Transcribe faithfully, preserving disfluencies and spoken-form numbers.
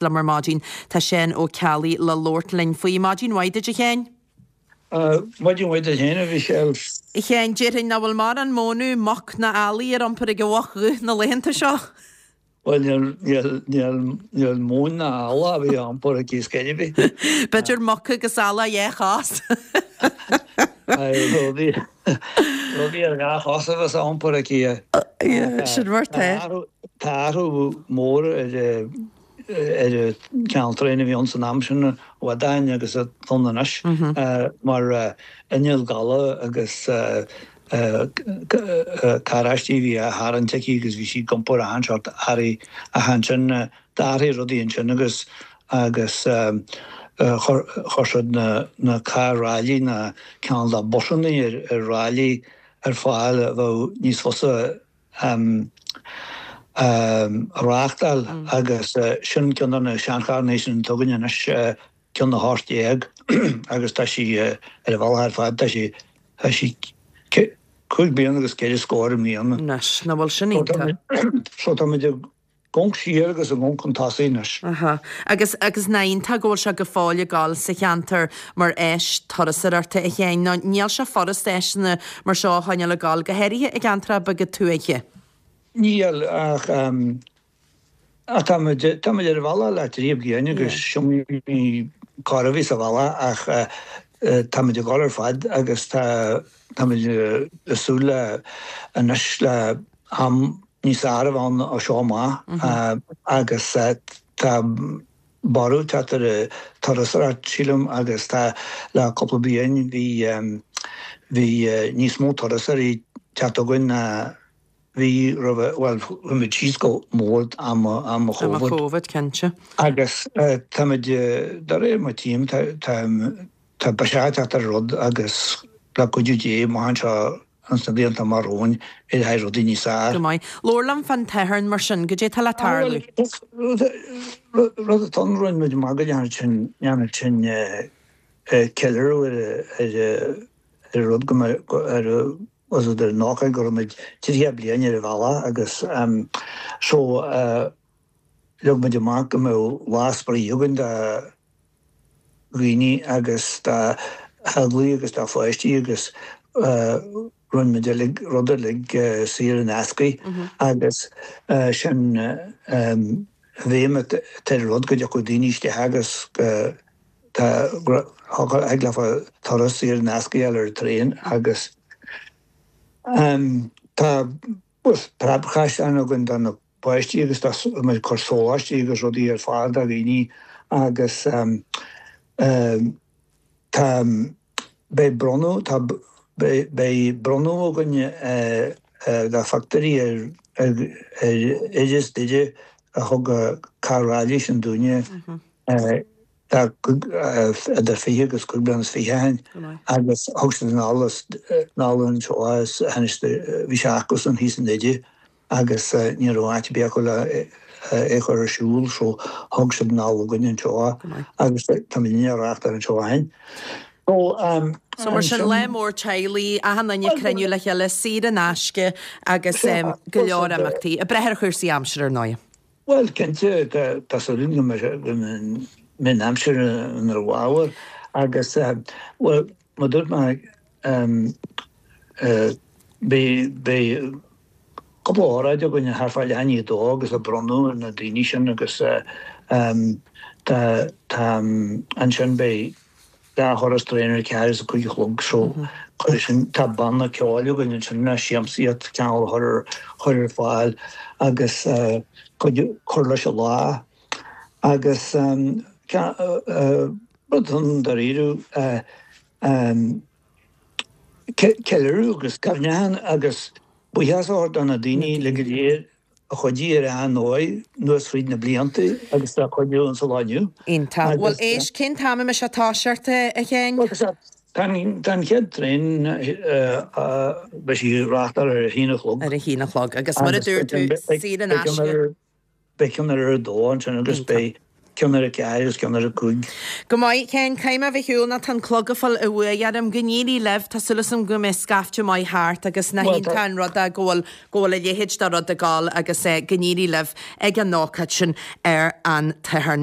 Liom ar maidin tá Seán Ó Ceallaigh le labhairt linn faoi. Maidin mhaith duit, a Sheáin. Maidin mhaith duit féin, a Mhichelle. A Sheáin, déarfainn nach bhfuil mórán mónadh, muc ná eallaigh ar iompar ag an mhuc dhubh na laethanta seo. Bhuel, níl, níl, níl móin ná eallach a bheith á iompar aici scor ar bith. B'fhéidir muc agus eallach dhá chos. Rudaí, rudaí ar dhá chos a bheas á iompar aici. Sin mar tá. Tá athrú mór ar ar an gcineál traein a bhí ann san am sin i bhfad ó shin agus atá ann anois mar inneall gabhla agus carráistí a bhí á tharraingt aici agus bhí sí ag iompar achan seort earraí ach ansin d'athraigh rudaí ansin agus agus chuir siad na na carr-ráillí na cineál de busannaí ar ar ráillí ar fáil a bheadh níos fusa a reáchtáil agus sin ceann de na seancharranna sin atá againn anois, ceann a hocht déag agus tá sí ar a bhealach ar fad, tá sí tá sí cúig bliana agus ceithre scór i mbliana. Anois, nach bhfuil sin iontach? So táimid ag amharc siar agus ag amharc chun tosaigh anois. Aha. Agus, agus nach iontach go bhfuil sé go fóill ag gabháil sa cheantar mar áis turasóireachta, a Sheáin, nó níl sé furast áiseanna mar seo a choinneáil ag gabháil, go háirithe i gceantracha beaga tuaithe. Níl, ach, ach táimid, táimid ar an bhealach le trí bliana agus is iomaí cor a bhí sa bhealach ach táimid ag gabháil ar fad agus tá, táimid ag súil le anois le am níos fearr a bheith ann ó seo amach agus tá borradh ag teacht ar an turasóireacht, sílim, agus tá le cúpla bliain bhí bhí níos mó turasóirí ag teacht chugainn ná bhí roimhe, bhuel, chuaigh muid síos go mór am am Am Covid. Covid, cinnte. Agus táimid, de réir mar tchím, tá tá tá biseach ag teacht ar an rud agus le cuidiú Dé, amach anseo ins na blianta amach romhainn, éireoidh rudaí níos fearr. Go maith. Labhair liom fán tSatharn mar sin, goidé tá le tarlú? Bhuel, rud atá ann, rinne muid amach go ndéanfadh sin, ndéanfadh sin ceiliúradh ar ar ar rud go mbeadh, ar was it ar an ócáid go raibh muid tríocha bliain ar an bhealach agus so leag muid amach go mbeadh lá spraoi againn do dhaoine agus do theaghlaigh agus do pháistí agus rinne muid uilig, rud uilig saor in aisce agus sin an bhéim atá ar an rud go dtiocfadh daoine isteach agus go thig leofa turas saor in aisce a fháil ar an traein agus tá preabchaisleán againn do na páistí agus tá muid ag cur sóláistí agus rudaí ar fáil do dhaoine agus tá beidh bronnadh tá beidh bronnadh againn de phictiúirí ar ar Oideas Doire a thug an carr ráillí sin dúinne tá idir fiche agus cúig bliana is fiche ó shin agus thug siad anall anall anseo is bhí sé acusan thíos i nDoire agus ní raibh áit ar bith acu le é a chur ar siúl so thug siad anall chugainn anseo é agus táimid á reáchtáil anseo féin. So So mar sin lá mór teaghlaigh, achan duine ag cruinniú le chéile, saor in aisce agus go leor imeachtaí. Ag brath ar chúrsaí aimsire ar ndóigh. Bhuel cinnte tá súil agam go mbeidh an aimsir inár bhfabhar agus bhuel mar a dúirt mé beidh cúpla óráid againn thart fá leath i ndiaidh a dó agus ag bronnadh ar na daoine sin agus tá tá ansin beidh dhá thuras traein ar a ceathair is a cúig a chlog so cuirfidh sin tá banna ceoil againn ansin le siamsaíocht cineál a chur ar chur ar fáil agus cuid cur leis an lá agus rud ann dáiríre ceiliúradh agus cuimhneachán agus buíochas a thabhairt do na daoine uilig go léir a chuidigh ar achan ndóigh anuas fríd na blianta agus atá ag cuidiú insa lá inniu. Iontach. Bhuel éist, cén t-am a mbeidh sé ag toiseacht, a Sheáin? Bhuel tá an chéad traein, beidh sí ag reáchtáil ar a haon a chlog. Ar a haon a chlog. Agus mar a dúirt tú, saor in aisce. Beidh ceann ar a dó ansin agus beidh ceann ar a ceathair agus ceann ar a cúig. Go maith, Sheáin, caithfidh mé a bheith ar shiúl nó tá an clog ag fáil a bhuaidh orm. Go n-éirí libh, tá súil agam go mbeidh scaifte maith thart agus nach iontach an rud é go bhfuil go bhfuil a leithéid de rud ag gabháil agus go n-éirí libh ag an ócáid sin ar an tSatharn.